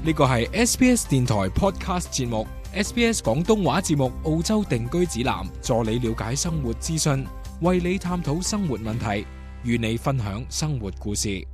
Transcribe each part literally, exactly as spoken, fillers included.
呢個係 S B S 電台 Podcast 節目 S B S 廣東話節目澳洲定居指南，助你了解生活資訊，為你探討生活問題，與你分享生活故事。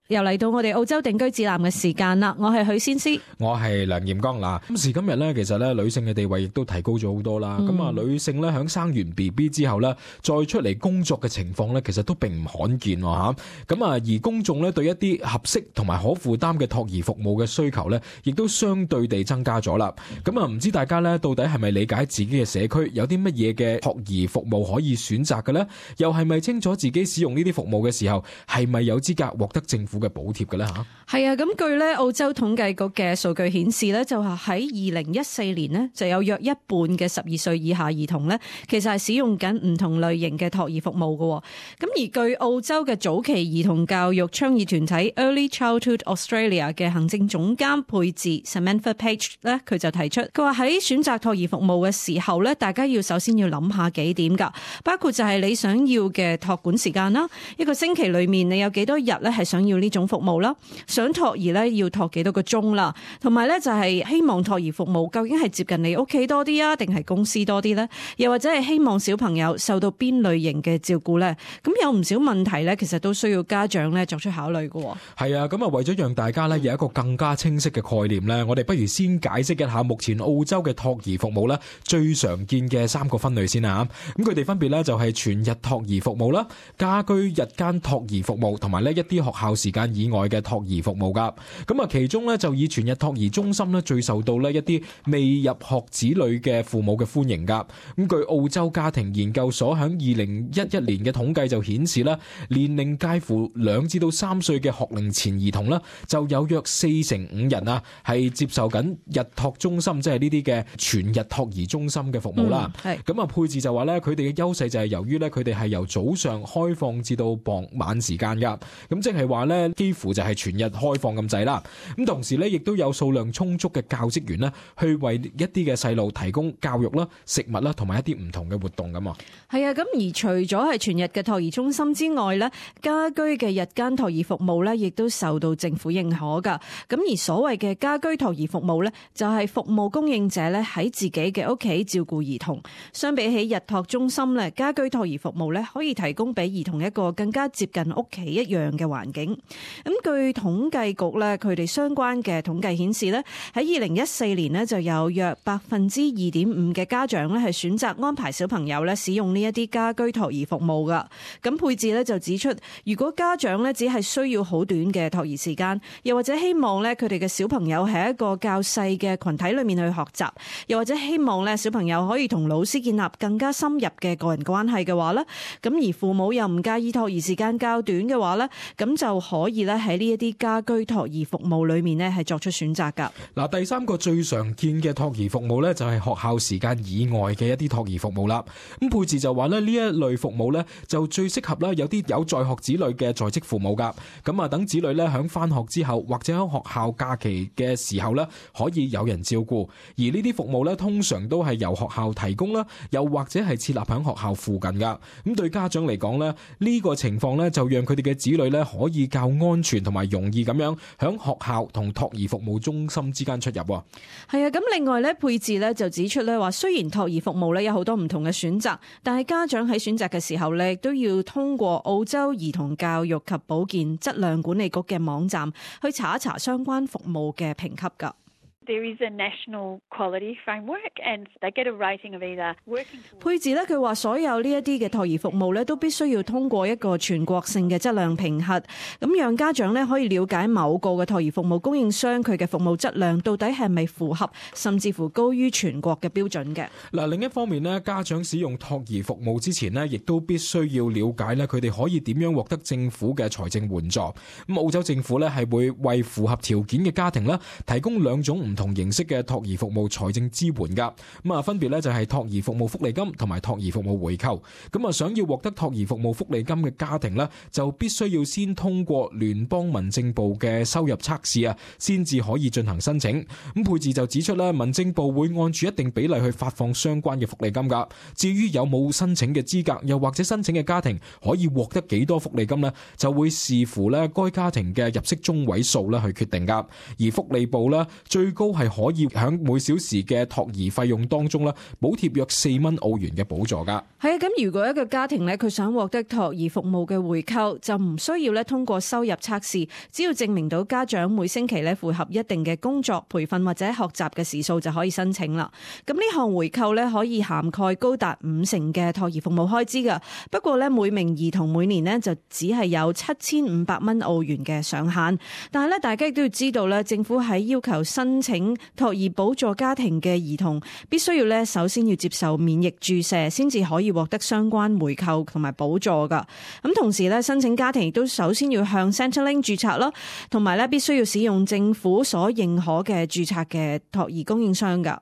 又嚟到我哋澳洲定居指南嘅時間啦，我係許仙師，我係梁炎剛。嗱，今時今日咧，其實咧女性嘅地位亦都提高咗好多啦。咁啊、嗯，女性咧響生完 B B 之後咧，再出嚟工作嘅情況咧，其實都並唔罕見喎吓。咁啊，而公眾咧對一啲合適同埋可負擔嘅托兒服務嘅需求咧，亦都相對地增加咗啦。咁啊，唔知大家咧到底係咪理解自己嘅社區有啲乜嘢嘅托兒服務可以選擇嘅咧？又係咪清楚自己使用呢啲服務嘅時候，係咪有資格獲得政府嘅補貼嘅咧吓？係啊，咁據咧澳洲統計局嘅數據顯示咧，就係喺二零一四年呢，就有約一半嘅十二歲以下兒童咧，其實係使用緊唔同類型嘅托兒服務嘅。咁而據澳洲嘅早期兒童教育倡議團體 Early Childhood Australia 嘅行政總監佩治 Samantha Page 咧，佢就提出，佢話喺選擇托兒服務嘅時候咧，大家要首先要諗下幾點噶，包括就係你想要嘅托管時間啦，一個星期裏面你有幾多日咧係想要呢種服務啦，想托兒咧要托幾多個鐘啦，同埋咧就係希望托兒服務究竟係接近你屋企多啲啊，定係公司多啲咧？又或者係希望小朋友受到邊類型嘅照顧咧？咁有唔少問題咧，其實都需要家長咧作出考慮嘅。係啊，咁啊為咗讓大家咧有一個更加清晰嘅概念咧，我哋不如先解釋一下目前澳洲嘅托兒服務咧最常見嘅三個分類先啊。咁佢哋分別咧就係全日托兒服務啦、家居日間托兒服務，同埋咧一啲學校時間以外嘅托兒服務噶。咁啊，其中咧就以全日托兒中心咧最受到咧一啲未入學子女嘅父母嘅歡迎噶。咁據澳洲家庭研究所響二零一一年嘅統計就顯示啦，年齡介乎兩至到三歲嘅學齡前兒童啦，就有約四成五人啊係接受緊日托中心，即係呢啲嘅全日托兒中心嘅服務啦。係咁啊，佩治就話咧，佢哋嘅優勢就係由於咧佢哋係由早上開放至到傍晚時間噶，咁即係話咧幾乎就係全日開放咁滯啦。咁同時咧，亦都有數量充足嘅教職員咧，去為一啲嘅細路提供教育啦、食物啦，同埋一啲唔同嘅活動咁啊。係啊，咁而除咗係全日嘅托兒中心之外咧，家居嘅日間托兒服務咧，亦都受到政府認可噶。咁而所謂嘅家居托兒服務咧，就係服務供應者咧喺自己嘅屋企照顧兒童。相比起日托中心咧，家居托兒服務咧可以提供俾兒童一個更加接近屋企一樣嘅環境。咁據統計局咧，佢哋相關嘅統計顯示咧，喺二零一四年咧就有約百分之二點五嘅家長咧係選擇安排小朋友咧使用呢一啲家居托兒服務噶。咁佩治咧就指出，如果家長咧只係需要好短嘅托兒時間，又或者希望咧佢哋嘅小朋友喺一個較細嘅群體裏面去學習，又或者希望咧小朋友可以同老師建立更加深入嘅個人關係嘅話咧，咁而父母又唔介意托兒時間較短嘅話咧，咁就可以咧喺呢一啲家居托兒服務裏面咧係作出選擇噶。嗱，第三個最常見嘅托兒服務咧就係學校時間以外嘅一啲托兒服務啦。咁佩治就話咧呢一類服務咧就最適合啦有啲有在學子女嘅在職父母噶。咁啊等子女咧響翻學之後或者喺學校假期嘅時候咧可以有人照顧，而呢啲服務咧通常都係由學校提供啦，又或者係設立喺學校附近噶。咁對家長嚟講咧呢個情況咧就讓佢哋嘅子女咧可以較安全同埋容易咁樣響學校同托兒服務中心之間出入。係啊，咁另外咧，佩治咧就指出咧話，雖然托兒服務咧有好多唔同嘅選擇，但係家長喺選擇嘅時候咧，都要通過澳洲兒童教育及保健質量管理局嘅網站去查一查相關服務嘅評級噶。There is a national quality framework and they get a rating of either working towards... 佩治咧佢話所有呢一啲嘅托兒服務咧都必須要通過一個全國性嘅質量評核，咁讓家長咧可以了解某個嘅托兒服務供應商佢嘅服務質量到底係咪符合甚至乎高於全國嘅標準嘅。嗱，另一方面咧，家長使用托兒服務之前咧，亦都必須要了解咧佢哋可以點樣獲得政府嘅財政援助。咁澳洲政府咧係會為符合條件嘅家庭咧提供兩種唔同同形式嘅托兒服務財政支援噶。咁啊，分別咧就係托兒服務福利金同埋托兒服務回扣。咁啊，想要獲得托兒服務福利金嘅家庭呢，就必須要先通過聯邦民政部嘅收入測試啊，先至可以進行申請。咁佩治就指出咧，民政部會按住一定比例去發放相關嘅福利金噶。至於有冇申請嘅資格，又或者申請嘅家庭可以獲得幾多福利金呢，就會視乎咧該家庭嘅入息中位數咧去決定噶。而福利部咧最高係可以響每小時嘅托兒費用當中咧補貼約四蚊澳元嘅補助噶。係啊，咁如果一個家庭咧佢想獲得托兒服務嘅回扣，就唔需要咧通過收入測試，只要證明到家長每星期咧符合一定嘅工作、培訓或者學習嘅時數就可以申請啦。咁呢項回扣咧可以涵蓋高達五成嘅托兒服務開支噶。不過咧每名兒童每年咧就只係有七千五百蚊澳元嘅上限。但係咧大家亦都要知道咧，政府喺要求申請托兒補助家庭嘅兒童，必須要咧首先要接受免疫注射，先至可以獲得相關回扣同埋補助噶。咁同時咧，申請家庭亦都首先要向 Centrelink 註冊啦，同埋咧必須要使用政府所認可嘅註冊嘅托兒供應商噶。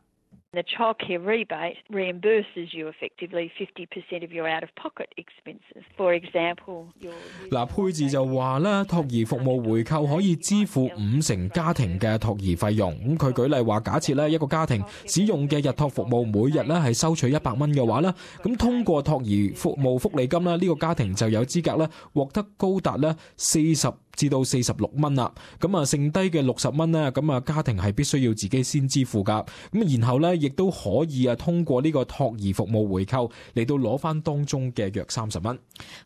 The childcare rebate reimburses you effectively fifty percent of your out-of-pocket expenses. For example, your... 嗱，佩治就話咧，托兒服務回扣可以支付五成家庭嘅托兒費用。咁佢舉例話，假設咧一個家庭使用嘅日托服務每日咧係收取一百蚊嘅話咧，咁通過托兒服務福利金咧，呢個家庭就有資格咧獲得高達咧四十至到四十六蚊啦。咁啊，剩低嘅六十蚊咧，咁啊家庭係必須要自己先支付噶。咁然後咧，亦都可以啊通過呢個托兒服務回扣嚟到攞翻當中嘅約三十蚊。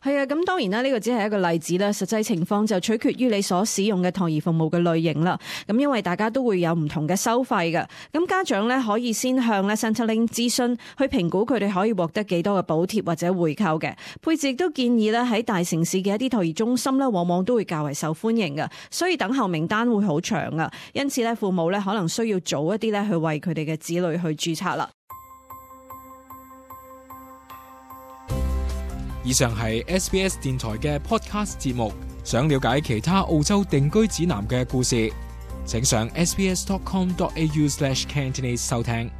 係啊，咁當然啦，呢個只係一個例子啦，實際情況就取決於你所使用嘅托兒服務嘅類型啦。咁因為大家都會有唔同嘅收費嘅，咁家長咧可以先向咧 Centrelink 諮詢，去評估佢哋可以獲得幾多嘅補貼或者回扣嘅。佩治亦都建議咧喺大城市嘅一啲托兒中心咧，往往都會較為受歡迎嘅，所以等候名單會好長啊。因此咧，父母咧可能需要早一啲咧去為佢哋嘅子女去註冊啦。以上係 S B S 電台嘅 podcast 節目。想了解其他澳洲定居指南嘅故事，請上 s b s dot com dot a u slash cantonese 收聽。